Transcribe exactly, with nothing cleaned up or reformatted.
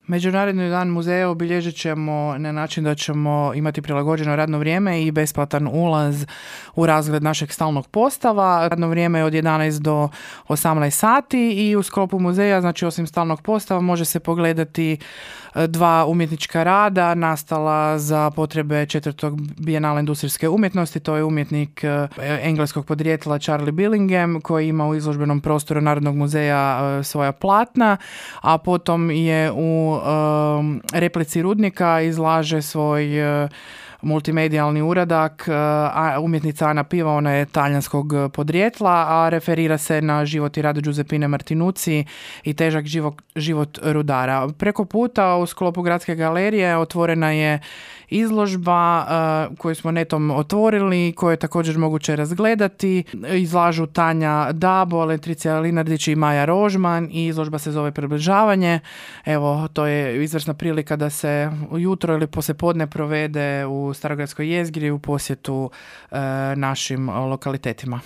Međunarodni dan muzeja obilježit ćemo na način da ćemo imati prilagođeno radno vrijeme i besplatan ulaz u razgled našeg stalnog postava. Radno vrijeme je od jedanaest do osamnaest sati i u sklopu muzeja, znači osim stalnog postava, može se pogledati dva umjetnička rada nastala za potrebe četvrtog bijenala industrijske umjetnosti. To je umjetnik engleskog podrijetla Charlie Billingham koji ima u izložbenom prostoru Narodnog muzeja svoja platna, a potom je u um, replici Rudnika izlaže svoj uh, multimedijalni uradak. A umjetnica Ana Piva, ona je talijanskog podrijetla, a referira se na život i rad Giuseppine Martinucci i težak život, život rudara. Preko puta u sklopu Gradske galerije otvorena je izložba uh, koju smo netom otvorili, koju je također moguće razgledati. Izlažu Tanja Dabo, Letricija Linardić i Maja Rožman i izložba se zove Približavanje. Evo, to je izvrsna prilika da se ujutro ili poslijepodne provede u Starogradskoj jezgri u posjetu uh, našim lokalitetima.